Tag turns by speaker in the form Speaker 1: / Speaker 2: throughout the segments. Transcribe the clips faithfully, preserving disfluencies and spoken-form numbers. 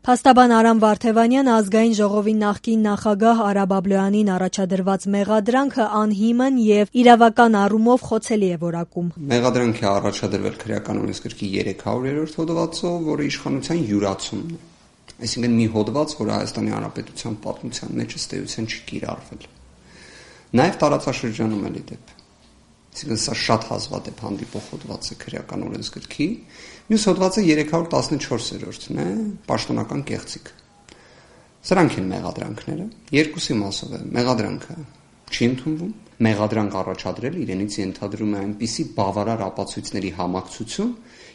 Speaker 1: Փաստաբան Արամ Վարդևանյանը ազգային ժողովի նախկին նախագահ Արա Բաբլոյանին առաջադրված մեղադրանքը անհիմն եւ իրավական առումով խոցելի է որակում։
Speaker 2: Մեղադրանք է առաջադրվել քրեական օրենսգրքի երեք հարյուրերորդ հոդվածով, որը իշխանության յուրացումն է։ Այսինքն մի հոդված, որը Հայաստանի Հանրապետության պատմության մեջ ըստ էության չի կիրառվել։ Նաեւ տարածաշրջանում էլի դեպ։ Այսինքն սա շատ հազվադեպ հանդիպող հոդված է քրեական օրենսգրքի։ Մյուս հոդվածը երեք հարյուր տասնչորսերորդն է, պաշտոնական կեղծիք։ Սրանք են մեղադրանքները, երկուսի մասով է։ Մեղադրանքը չի ընդունվում, մեղադրանք առաջադրել իրենից ենթադրում է այնպիսի բավարար ապացույցների համակցություն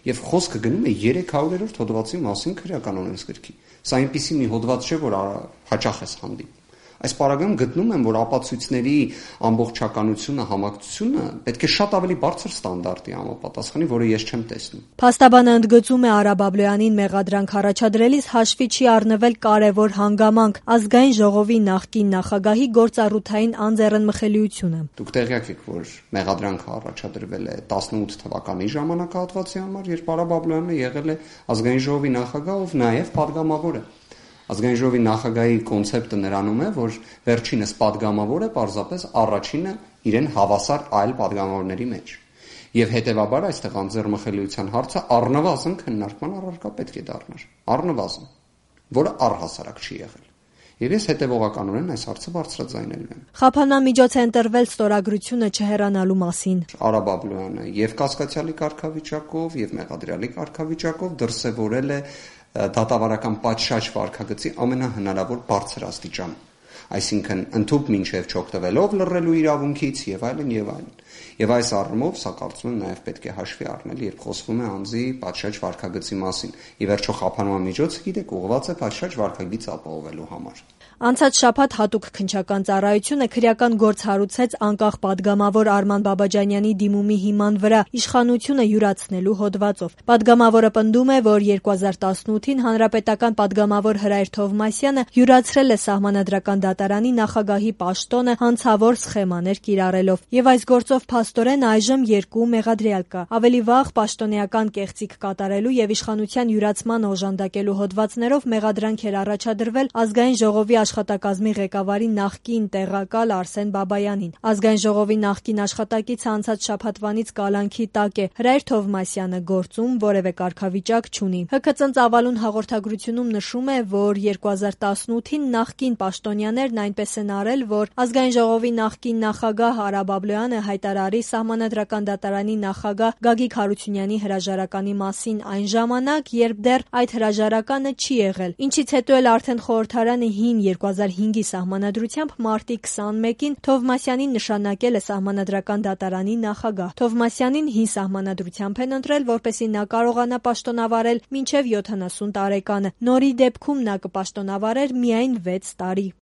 Speaker 2: եւ խոսքը գնում է երեք հարյուրերորդ հոդվածի մասին քրեական օրենսգրքի։ Սա այնպիսի մի հոդված չէ, որ հաճախ է հանդիպում։ Այս պարագայում գտնում եմ, որ ապացույցների ամբողջականությունը, համակցությունը պետք է շատ ավելի բարձր ստանդարտի համապատասխանի, որը ես չեմ տեսնում։
Speaker 1: Փաստաբանը ընդգծում է Արա Բաբլոյանին մեղադրանք առաջադրելիս հաշվի չի առնվել կարևոր հանգամանք՝ ազգային ժողովի նախկին նախագահի գործառութային անձեռնմխելիությունը։
Speaker 2: Դուք տեղյակ եք, որ մեղադրանքը առաջադրվել է տասնութ թվականի ժամանակահատվածի համար, երբ Արա Բաբլոյանը եղել է ազգային ժողովի նախագահ, ով նաև падգամավոր է։ Ազգային ժողովի նախագահի կոնցեպտը նրանում է, որ վերջինս падգամավոր է պարզապես առաջինը իրեն հավասար այլ падգամավորների մեջ։ Եվ հետևաբար այստեղ անձեռնմխելիության հարցը առնվազն քննարկման առարկա պետք է դառնար, առնվազն, որը առհասարակ չի եղել։ Եվ ես հետևողականորեն այս հարցը բարձրաձայնելու եմ։
Speaker 1: Խափանամիջոց է ընտրվել ստորագրությունը չհեռանալու մասին։
Speaker 2: Արա Բաբլոյանը եւ կասկածյալի կարգավիճակով, եւ մեղադրյալի կարգավիճակով դրսեւորել է դատավարական պատշաճ վարքագծի ամենահնարավոր բարձր աստիճան, այսինքն ընդհուպ մինչև չօգտվելով լռելու իրավունքից եւ այլն եւ այլն։ Եվ այս առումով սա կարծում եմ նաեւ պետք է հաշվի առնել, երբ խոսվում է անձի պատշաճ վարքագծի մասին։ Ի վերջո խափանամիջոցը, գիտեք, ուղղված է պատշաճ վարքագիծ ապահովելու համար։
Speaker 1: Անցած շաբաթ հատուկ քննչական ծառայությունը քրեական գործ հարուցեց անկախ падգամավոր Արման Բաբաջանյանի դիմումի հիման վրա իշխանությունը յուրացնելու հոդվածով։ Падգամավորը պնդում է, որ երկու հազար տասնութին հանրապետական падգամավոր Հրայր Թովմասյանը յուրացրել է Սահմանադրական դատարանի նախագահի պաշտոնը հանցավոր սխեմաներ կիրառելով, եւ այս գործով փաստորեն այժմ երկու մեղադրյալ կա։ Ավելի վաղ պաշտոնեական կեղծիք կատարելու եւ իշխանության յուրացման օժանդակելու հոդվածներով մեղադրանք էր առաջադրվել ազգային ժողովի աշխատակազմի ղեկավարի նախկին տեղակալ Արսեն Բաբայանին։ Ազգային ժողովի նախկին աշխատակիցը անցած շաբաթվանից կալանքի տակ է։ Հրայր Թովմասյանը գործում որևէ կարգավիճակ չունի։ ՀՔԾ ծավալուն հաղորդագրությունում նշում է, որ երկու հազար տասնութին նախկին պաշտոնյաներն այնպես են արել, որ ազգային ժողովի նախկին նախագահ Արա Բաբլոյանը հայտարարի Սահմանադրական դատարանի նախագահ Գագիկ Հարությունյանի հրաժարականի մասին այն ժամանակ, երբ դեռ այդ հրաժարականը չի եղել, ինչից հետո էլ արդեն խորհրդարանը հին երկու հազար հինգի սահմանադրությամբ մարտի քսանմեկին Թովմասյանին նշանակել է Սահմանադրական դատարանի նախագահ։ Թովմասյանին հին սահմանադրությամբ են ընտրել, որպեսզի նա կարողանա պաշտոնավարել մինչև յոթանասուն տարեկանը։ Նորի դեպքում նա կպաշտոնավարեր միայն վեց տարի։